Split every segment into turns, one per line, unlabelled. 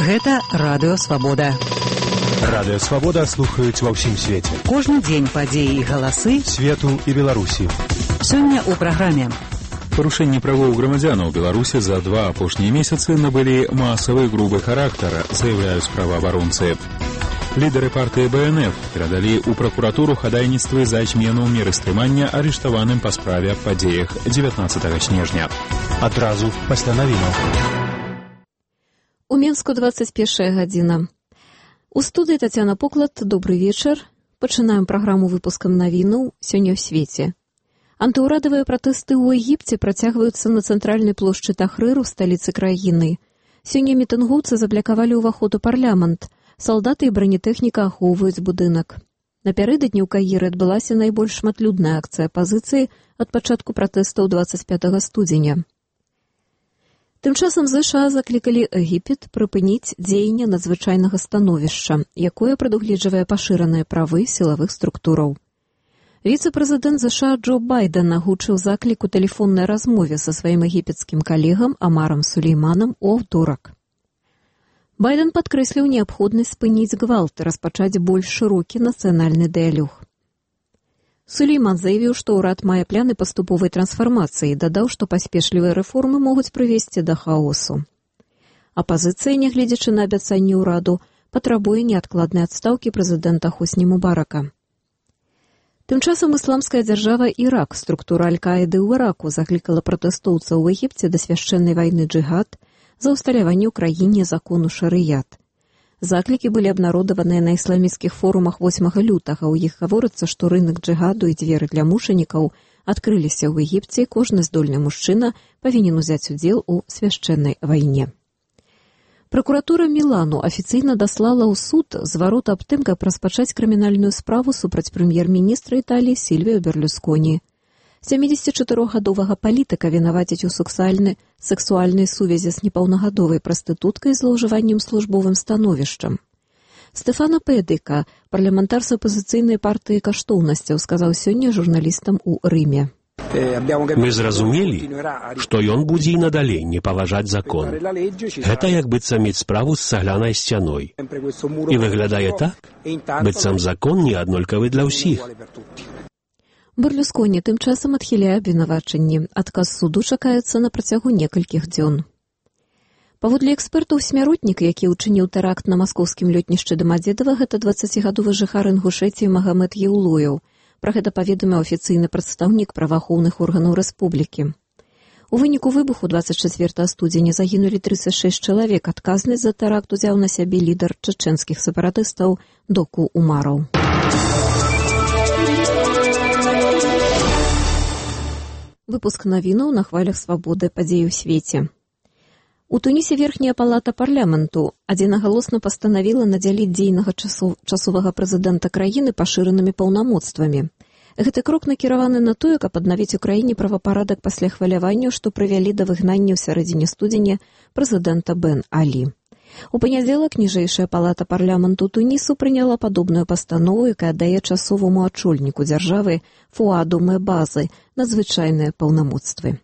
Гэта Радыё Свабода.
Радыё Свабода слухаюць ва ўсім свеце.
Кожны дзень падзеі і галасы
свету і Беларусі.
Сёння ў праграме.
Парушэнні правоў грамадзянаў Беларусі за 2 апошнія месяцы набылі масавы грубы характар, заяўляюць праваабаронцы. Лідары партыі БНФ перадалі ў пракуратуру хадайніцтвы за змену меры стрымання арыштаваным па справе аб падзеях 19 снежня.
Адразу пасля навінаў.
У Менску 21 гадзіна. У студыі Тацяна Поклад, добрый вечар. Пачынаем праграму выпускам навінаў сёння ў свеце. Антыўрадавыя пратэсты ў Егіпце працягваюцца на цэнтральнай плошчы Тахрыр у сталіцы краіны. Сёння мітынгоўцы заблакавалі ўваход у парламент. Салдаты і бронетэхніка ахоўваюць будынак. Напярэдадні ў Каіры адбылася найбольш шматлюдная акцыя апазіцыі ад пачатку пратэстаў 25 студзеня. Тым часам ЗША заклікалі Егіпет прыпыніць дзеянне надзвычайнага становішча, якое прадугледжвае пашыраныя правы сілавых структураў. Віцэ-прэзідэнт ЗША Джо Байден агучыў заклік у тэлефоннай размове са сваім егіпецкім калегам Амарам Сулейманам у аўторак. Байден падкрэсліў неабходнасць спыніць гвалт і распачаць больш шырокі нацыянальны дыялог. Сулейман заявіў, што ўрад мае пляны паступовай трансфармацыі і дадаў, што паспешлівыя рэформы могуць прывесці да хаосу. Апазіцыя, нягледзячы на абяцанні ўраду, патрабуе неадкладнай адстаўкі прэзідэнта Хосні Мубарака. Тым часам ісламская дзяржава Ірак, структура Аль-Каіды ў Іраку, заклікала пратэстоўцаў у Егіпце да свяшчэннай вайны джыхад за ўсталяванне ў краіне закону шарыят. Заклікі былі абнародаваныя на ісламісцкіх форумах 8 лютага. У іх гаворыцца, што рынак джыгаду і дзверы для мучанікаў адкрыліся ў Егіпце, і кожны здольны мужчына павінен узяць удзел у свяшчэннай вайне. Пракуратура Мілану афіцыйна даслала ў суд зварот аб тым, каб распачаць крымінальную справу супраць прэм'ер-міністра Італіі Сільвіо Берлусконі. 74-гадовага палітыка вінавацяць у сексуальнай сувязі з непаўнагадовай прастытуткай з злоўжываннем службовым становішчам. Стэфано Педыка, парламентар з апазіцыйнай партыі каштоўнасцяў, сказаў сёння журналістам у Рыме.
Мы зразумелі, што ён будзе і надалей не паважаць закон. Гэта як быццам мець справу з цаглянай сцяной. І выглядае так, быццам закон не аднолькавы для ўсіх.
Берлусконі тым часам адхіляе абвінавачанні. Адказ суду чакаецца на працягу некалькіх дзён. Паводле экспертаў, смяротнік, які ўчыніў тэракт на маскоўскім лётнішчы Дамадзедава, гэта 20-гадовы жыхар Інгушэтіі Магамед Еўлояў. Пра гэта паведаміў афіцыйны прадстаўнік праваахоўных органаў рэспублікі. У выніку выбуху 24 студзеня загінулі 36 чалавек. Адказнасць за тэракт узяў на сябе лідар чачэнскіх сепаратыстаў Доку Умараў. Выпуск навінаў на хвалях свабоды падзей у свеце. У Тунісе верхняя палата парламенту адзінагалосна пастанавіла надзяліць дзейнага часовага прэзідэнта краіны пашыранымі паўнамоцтвамі. Гэты крок накіраваны на тое, каб аднавіць у краіне правапарадак пасля хваляванняў, што прывялі да выгнання ў сярэдзіне студзеня прэзідэнта Бен Алі. У панядзелак ніжэйшая палата парламенту Тунісу прыняла падобную пастанову, якая дае часоваму ачольніку дзяржавы Фуаду Мебазы надзвычайныя паўнамоцтвы.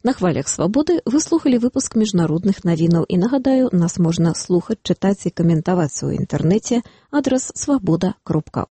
На хвалях свабоды вы слухалі выпуск міжнародных навінаў і, нагадаю, нас можна слухаць, чытаць і каментаваць у інтэрнэце, адрас swaboda.org.